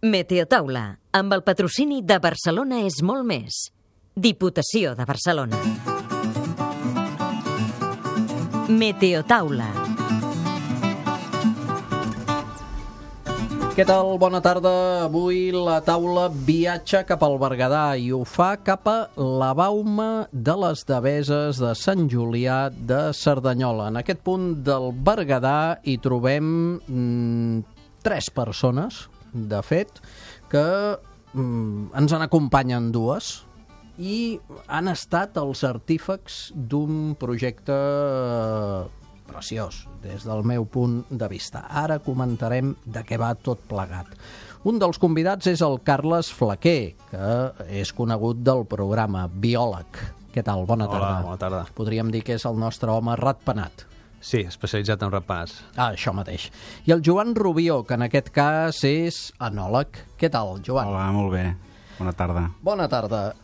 Meteotaula, amb el patrocini de Barcelona és molt més. Diputació de Barcelona. Meteotaula. Què tal? Bona tarda. Avui la taula viatja cap al Berguedà i ho fa cap a la Bauma de les Deveses de Sant Julià de Cerdanyola. En aquest punt del Berguedà hi trobem 3 persones, de fet, que ens en acompanyen 2 i han estat els artífex d'un projecte preciós, des del meu punt de vista. Ara comentarem de què va tot plegat. Un dels convidats és el Carles Flaquer, que és conegut del programa, biòleg. Què tal? Bona tarda. Hola, bona tarda. Podríem dir que és el nostre home ratpenat. Sí, especialitzat en ratpenats. Això mateix. I el Joan Rubió, que en aquest cas és enòleg. Què tal, Joan? Hola, molt bé. Bona tarda. Bona tarda.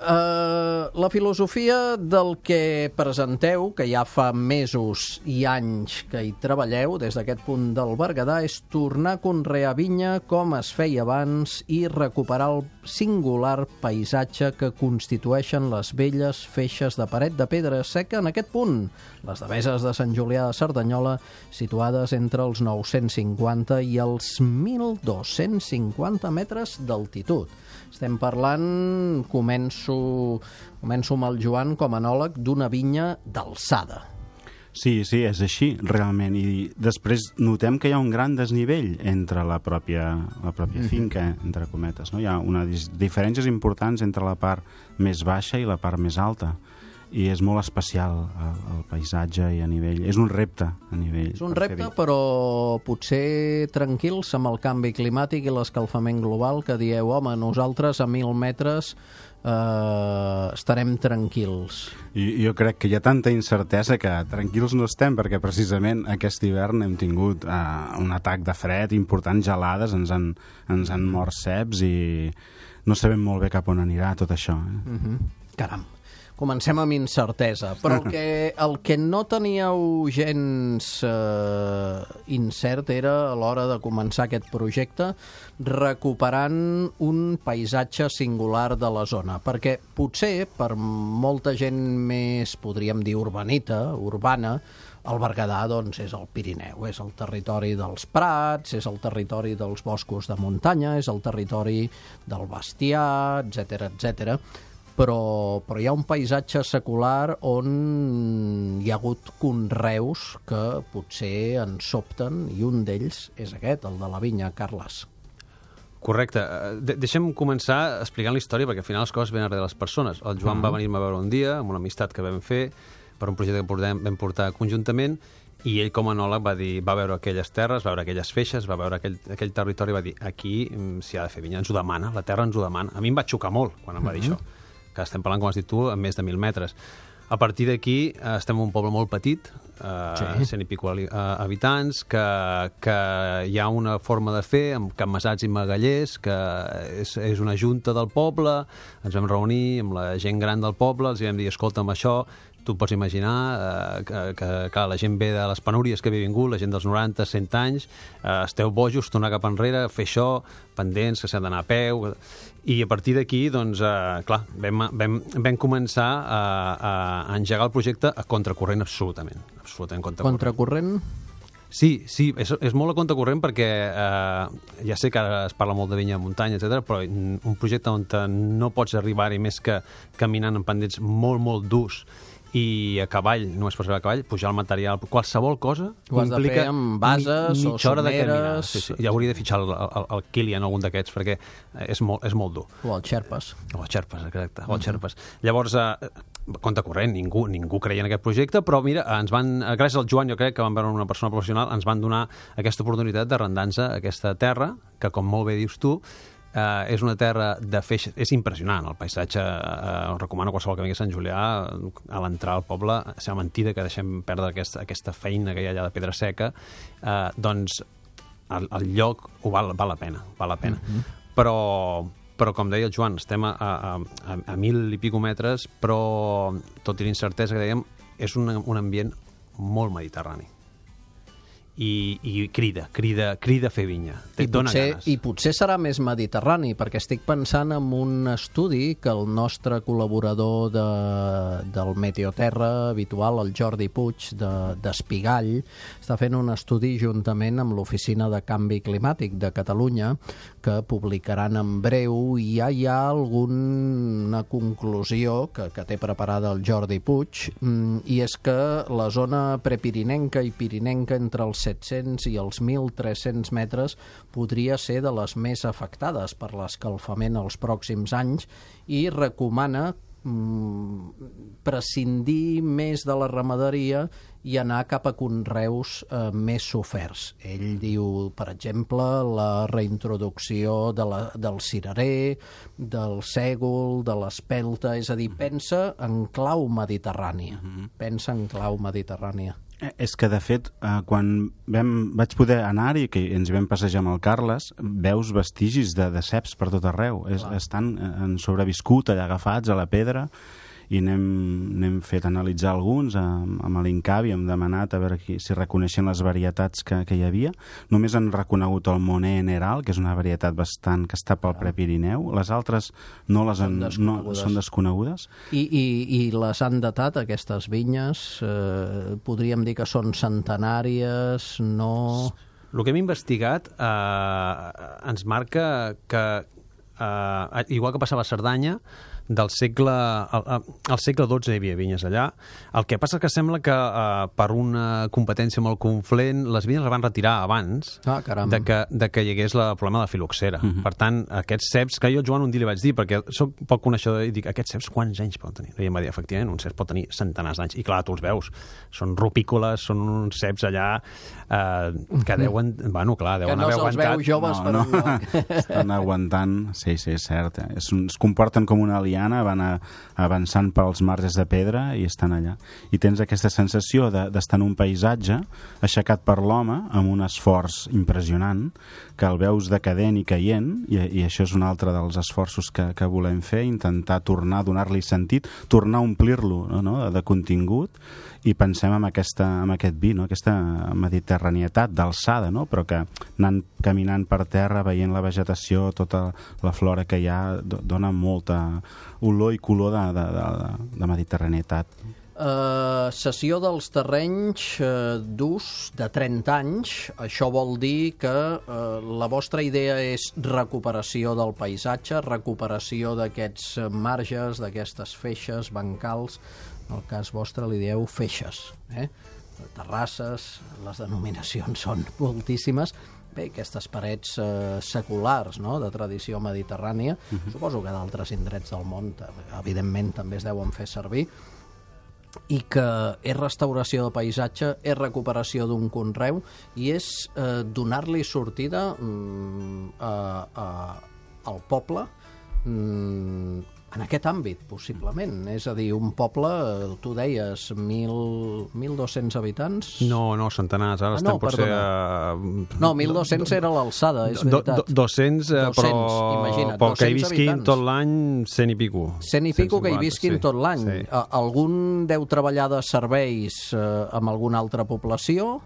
La filosofia del que presenteu, que ja fa mesos i anys que hi treballeu des d'aquest punt del Berguedà, és tornar a conrear vinya com es feia abans i recuperar el singular paisatge que constitueixen les velles feixes de paret de pedra seca en aquest punt, les Deveses de Sant Julià de Cerdanyola, situades entre els 950 i els 1.250 metres d'altitud. Estem parlant, començo amb el Joan com a enòleg, d'una vinya d'alçada. Sí, és així, realment. I després notem que hi ha un gran desnivell entre la pròpia finca, entre cometes. No? Hi ha unes diferències importants entre la part més baixa i la part més alta. I és molt especial el paisatge i a nivell... És un repte a nivell... És un repte, però potser tranquils amb el canvi climàtic i l'escalfament global, que dieu, home, nosaltres a 1.000 metres estarem tranquils. Jo crec que hi ha tanta incertesa que tranquils no estem, perquè precisament aquest hivern hem tingut un atac de fred, importants gelades, ens han mort ceps i no sabem molt bé cap on anirà tot això. Caram. Comencem amb incertesa, però el que no teníeu gens incert era a l'hora de començar aquest projecte recuperant un paisatge singular de la zona, perquè potser per molta gent més, podríem dir, urbana, el Berguedà doncs, és el Pirineu, és el territori dels prats, és el territori dels boscos de muntanya, és el territori del bestiar, etc. Però hi ha un paisatge secular on hi ha hagut conreus que potser ens sobten, i un d'ells és aquest, el de la vinya, Carles. Correcte. Deixem començar explicant la història, perquè al final les coses venen darrere de les persones. El Joan va venir-me a veure un dia, amb una amistat que vam fer, per un projecte que vam portar conjuntament, i ell com a enòleg va veure aquelles terres, va veure aquelles feixes, va veure aquell territori, va dir, aquí s'hi ha de fer vinya, ens ho demana, la terra ens ho demana. A mi em va xocar molt quan em va dir això, que estem parlant, com has dit tu, a més de 1.000 metres. A partir d'aquí estem en un poble molt petit, 100 i pico habitants, que hi ha una forma de fer amb capmassats i magallers, que és una junta del poble, ens vam reunir amb la gent gran del poble, els vam dir, escolta'm, això, tu pots imaginar que la gent ve de les penúries que havia vingut, la gent dels 90, 100 anys, esteu bojos, tornar cap enrere, fer això, pendents, que s'ha d'anar a peu... I a partir d'aquí, doncs, clar, vam començar a engegar el projecte a contracorrent absolutament Contracorrent? Sí, és molt a contracorrent perquè ja sé que ara es parla molt de vinya de muntanya, etc, però un projecte on no pots arribar-hi més que caminant en pendents molt, molt durs i a cavall, només pots arribar a cavall, pujar el material, qualsevol cosa ho has de fer amb bases o someres... Sí. Ja hauria de fitxar el Kilian, algun d'aquests, perquè és molt dur. O el Xerpes. Exacte, o el Xerpes. Llavors, contracorrent, ningú creia en aquest projecte, però mira, gràcies al Joan, jo crec que vam veure una persona professional, ens van donar aquesta oportunitat d'arrendar-nos aquesta terra, que com molt bé dius tu, és una terra de feix... És impressionant, el paisatge. Recomano a qualsevol que vingui a Sant Julià, a l'entrar al poble, sembla mentida que deixem perdre aquesta feina que hi ha allà de pedra seca, doncs el lloc ho val la pena. Però com deia el Joan, estem a 1.000 i pico metres, però tot i l'incertesa que dèiem, és un ambient molt mediterrani. i crida a fer vinya. Dóna ganes. I potser serà més mediterrani, perquè estic pensant en un estudi que el nostre col·laborador del Meteoterra habitual, el Jordi Puig, d'Espigall, està fent un estudi juntament amb l'Oficina de Canvi Climàtic de Catalunya, que publicaran en breu, i ja hi ha alguna conclusió que té preparada el Jordi Puig, i és que la zona prepirinenca i pirinenca entre els 700 i els 1.300 metres podria ser de les més afectades per l'escalfament els pròxims anys, i recomana prescindir més de la ramaderia i anar cap a conreus més soferts. Ell diu, per exemple, la reintroducció del cirerer, del sègol, de l'espelta, és a dir, pensa en clau mediterrània. Pensa en clau mediterrània. És que, de fet, quan vaig poder anar-hi, que ens hi vam passejar amb el Carles, veus vestigis de ceps per tot arreu. Estan sobreviscut allà agafats a la pedra, i n'hem fet analitzar alguns amb l'Incavi, hem demanat a veure si reconeixen les varietats que hi havia. Només han reconegut el Monet Neral, que és una varietat bastant que està pel Prepirineu. Les altres són desconegudes. I les han datat, aquestes vinyes? Podríem dir que són centenàries, no... El que hem investigat ens marca que, igual que passava a Cerdanya, al segle XII hi havia vinyes allà. El que passa que sembla que per una competència molt conflent les vinyes les van retirar abans de que hi hagués el problema de la filoxera. Per tant, aquests ceps, que jo Joan un dia li vaig dir, perquè soc poc coneixedor, i dic, aquests ceps quants anys poden tenir? I em va dir, efectivament, un cep pot tenir centenars d'anys. I clar, tu els veus, són rupícoles, són uns ceps allà que deuen... Bueno, clar, deuen haver aguantat... Que no se'ls veu joves per enlloc. Estan aguantant, sí, és cert. Es comporten com una liana, van avançant pels marges de pedra i estan allà. I tens aquesta sensació d'estar en un paisatge aixecat per l'home amb un esforç impressionant, que el veus decadent i caient, i això és un altre dels esforços que volem fer, intentar tornar a donar-li sentit, tornar a omplir-lo, no? de contingut, i pensem en aquest vi, no? Aquesta mediterranietat d'alçada, no? Però que anant caminant per terra, veient la vegetació, tota la flora que hi ha, dona molta olor i color de mediterranietat. Cessió dels terrenys d'ús de 30 anys. Això vol dir que la vostra idea és recuperació del paisatge, recuperació d'aquests marges, d'aquestes feixes, bancals. En el cas vostre li dieu feixes, terrasses, les denominacions són moltíssimes. Bé, aquestes parets seculars, no?, de tradició mediterrània, suposo que d'altres indrets del món, evidentment, també es deuen fer servir, i que és restauració de paisatge, és recuperació d'un conreu, i és donar-li sortida al poble en aquest àmbit, possiblement. És a dir, un poble, tu deies, 1.200 habitants? No, centenars. Ara estem potser... No, 1.200 era l'alçada, és veritat. 200, però que hi visquin tot l'any 100 i pico. 100 i pico que hi visquin tot l'any. Algun deu treballar de serveis amb alguna altra població,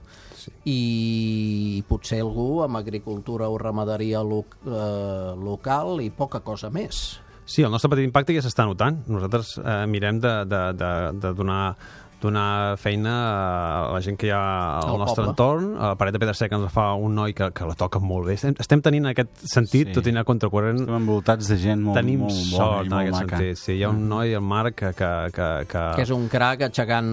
i potser algú amb agricultura o ramaderia local i poca cosa més. Sí, el nostre petit impacte ja s'està notant. Nosaltres mirem de donar feina a la gent que hi ha al nostre entorn. A la paret de pedra seca ens fa un noi que la toca molt bé. Estem tenint en aquest sentit, tot i anar contracorrent... Estem envoltats de gent molt tenim molt sort en aquest maca. sentit. Sí, hi ha un noi, el Marc, que és un crac aixecant...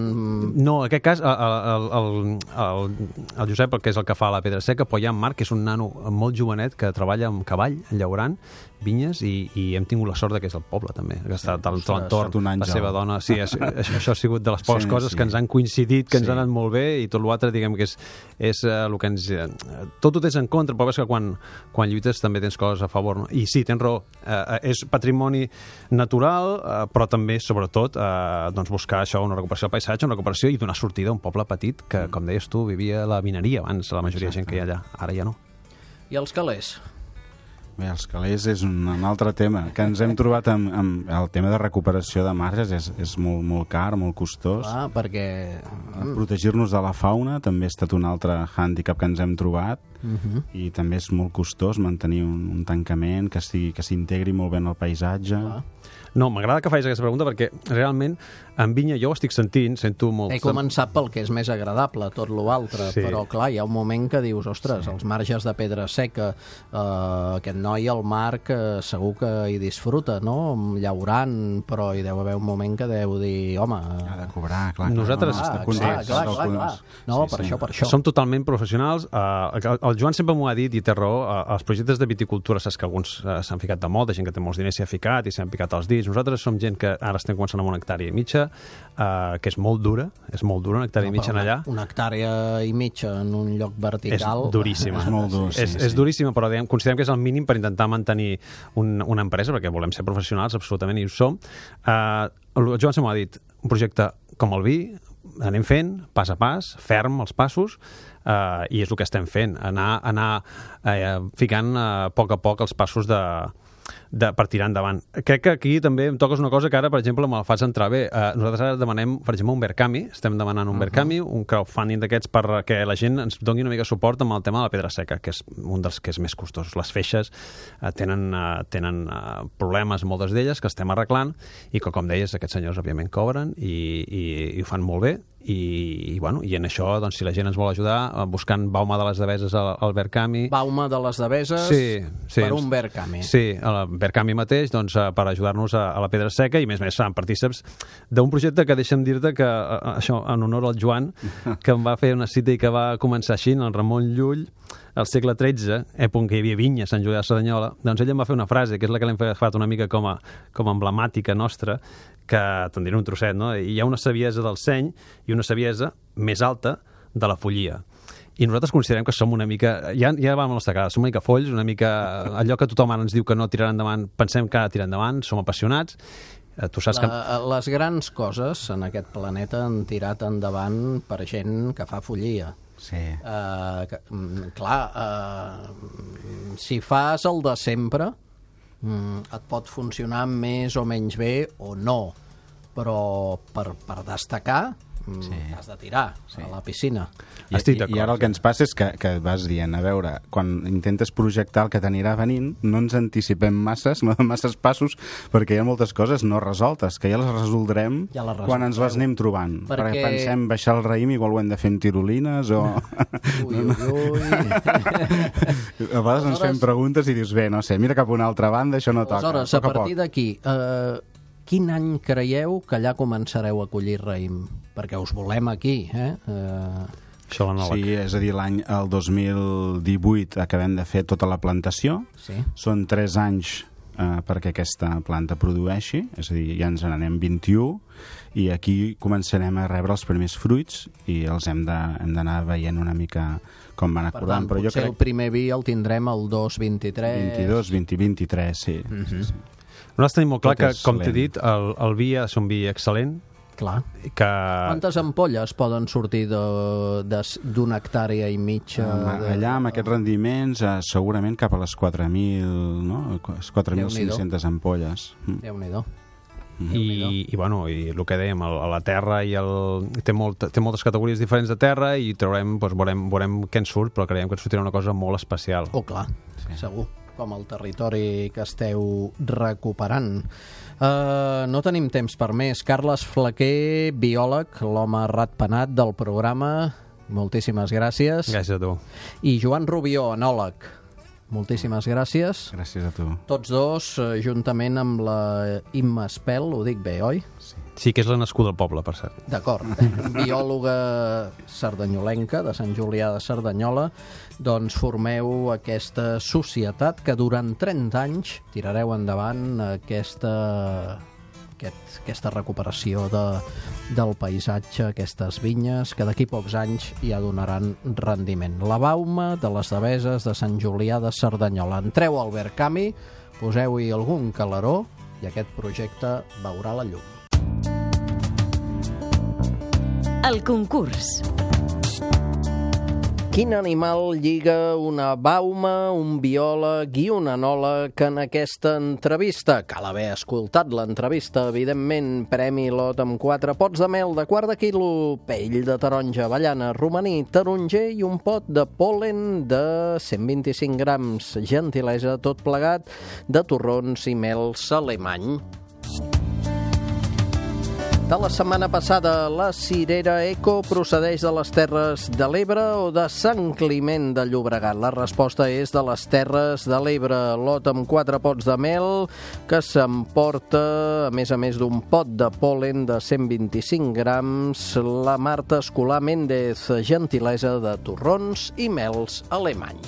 No, en aquest cas, el Josep, que és el que fa la pedra seca, però hi ha en Marc, que és un nano molt jovenet, que treballa amb cavall, llaurant vinyes, i hem tingut la sort que és el poble, també, que està a l'entorn, la seva dona. Sí, això ha sigut de les poques coses que ens han coincidit, que ens han anat molt bé, i tot l'altre, diguem que és el que ens... Tot ho tens en contra, però és que quan lluites també tens coses a favor, no? I sí, tens raó, és patrimoni natural, però també, sobretot, buscar això, una recuperació del paisatge, una recuperació i donar sortida a un poble petit que, com deies tu, vivia la mineria abans, la majoria de gent que hi ha allà. Ara ja no. I els calés? Bé, els calés és un altre tema, que ens hem trobat amb el tema de recuperació de marges, és molt car, molt costós. Perquè... Protegir-nos de la fauna també ha estat un altre hàndicap que ens hem trobat, i també és molt costós mantenir un tancament que s'integri molt bé en el paisatge. No, m'agrada que facis aquesta pregunta perquè realment en vinya jo ho estic sento molt... He començat pel que és més agradable, tot l'altre, però clar, hi ha un moment que dius, ostres, els marges de pedra seca, aquest noi al Marc segur que hi disfruta, no? Llaurant, però hi deu haver un moment que deu dir, home... Ha de cobrar, clar. Nosaltres... Clar. No, per això. Som totalment professionals. El Joan sempre m'ho ha dit i té raó. Els projectes de viticultura, saps que alguns s'han ficat de moda, gent que té molts diners s'hi ha ficat i s'han picat els dits. Nosaltres som gent que ara estem començant amb una hectàrea i mitja, que és molt dura, una hectàrea i mitja allà. Una hectàrea i mitja en un lloc vertical... És duríssima. És molt dur, és duríssima, però considerem que és el mínim per intentar mantenir una empresa, perquè volem ser professionals, absolutament, i ho som. El Joan sempre m'ha dit, un projecte com el vi, anem fent, pas a pas, ferm els passos, i és el que estem fent, anar ficant a poc els passos per tirar endavant. Crec que aquí també em toques una cosa que ara, per exemple, me la fas entrar bé. Nosaltres ara demanem, per exemple, un Verkami, estem demanant un Verkami, un crowdfunding d'aquests perquè la gent ens doni una mica suport amb el tema de la pedra seca, que és un dels que és més costosos. Les feixes tenen problemes, moltes d'elles, que estem arreglant, i que, com deies, aquests senyors, òbviament, cobren i ho fan molt bé, i en això, doncs, si la gent ens vol ajudar buscant Bauma de les Deveses al Verkami... Bauma de les Deveses per un Verkami. Sí, el Verkami mateix, doncs, per ajudar-nos a la pedra seca, i més seran partíceps d'un projecte que deixa'm dir-te que, això, en honor al Joan, que em va fer una cita i que va començar així, en el Ramon Llull, al segle XIII, època que hi havia vinya a Sant Julià de Cerdanyola, doncs ell em va fer una frase, que és la que l'hem agafat una mica com a emblemàtica nostra, que te'n diré un trosset, no? Hi ha una saviesa del seny i una saviesa més alta de la follia. I nosaltres considerem que som una mica... Ja vam a la nostra cara, som una mica folls, una mica... Allò que tothom ara ens diu que no tirarà endavant, pensem que ha de tirar endavant, som apassionats. Tu saps que... Les grans coses en aquest planeta han tirat endavant per gent que fa follia. Sí. Si fas el de sempre, et pot funcionar més o menys bé o no, però per destacar has de tirar a la piscina. I ara el que ens passa és que vas dient, a veure, quan intentes projectar el que t'anirà venint, no ens anticipem masses passos, perquè hi ha moltes coses no resoltes, que ja les resoldrem quan ens les anem trobant. Perquè pensem baixar el raïm, igual ho hem de fer amb tirolines o... Ui. A vegades ens fem preguntes i dius, bé, no sé, mira cap a una altra banda, això no toca. Aleshores, a partir d'aquí, quin any creieu que allà començareu a collir raïm? Perquè us volem aquí, Sí, és a dir, el 2018 acabem de fer tota la plantació. Sí. Són 3 anys perquè aquesta planta produeixi, és a dir, ja ens n'anem 21, i aquí començarem a rebre els primers fruits i els hem d'anar veient una mica com van acordant. Per tant, potser el primer vi el tindrem el 2023... 22, 23, sí. Nosaltres tenim molt clar que, com t'he dit, el vi ha de ser un vi excel·lent. Clar. Quantes ampolles poden sortir d'una hectàrea i mitja? Allà, amb aquests rendiments, segurament cap a les 4.000, no? 4.500 ampolles. Déu-n'hi-do. I el que dèiem, la terra té moltes categories diferents de terra i veurem què ens surt, però creiem que ens sortirà una cosa molt especial. Oh, clar, segur, com el territori que esteu recuperant. No tenim temps per més. Carles Flaquer, biòleg, l'home ratpenat del programa, moltíssimes gràcies. Gràcies a tu. I Joan Rubió, enòleg, moltíssimes gràcies. Gràcies a tu. Tots dos, juntament amb la Imma Espel, ho dic bé, oi? Sí, que és la nascuda del poble, per cert. D'acord. Biòloga sardanyolenca, de Sant Julià de Cerdanyola, doncs formeu aquesta societat que durant 30 anys tirareu endavant aquesta recuperació del paisatge, aquestes vinyes, que d'aquí pocs anys ja donaran rendiment. La Bauma de les Deveses de Sant Julià de Cerdanyola. Entreu al Verkami, poseu-hi algun calaró i aquest projecte veurà la llum. El concurs. Quin animal lliga una bauma, un biòleg i un enòleg en aquesta entrevista? Cal haver escoltat l'entrevista, evidentment. Premi lot amb 4 pots de mel de quart de quilo, pell de taronja, avellana, romaní, taronger i un pot de pol·len de 125 grams. Gentilesa, tot plegat, de torrons i mels alemany. De la setmana passada, la cirera Eco procedeix de les Terres de l'Ebre o de Sant Climent de Llobregat? La resposta és de les Terres de l'Ebre. Lot amb 4 pots de mel que s'emporta, a més d'un pot de pol·len de 125 grams, la Marta Escolà Méndez, gentilesa de torrons i mels alemany.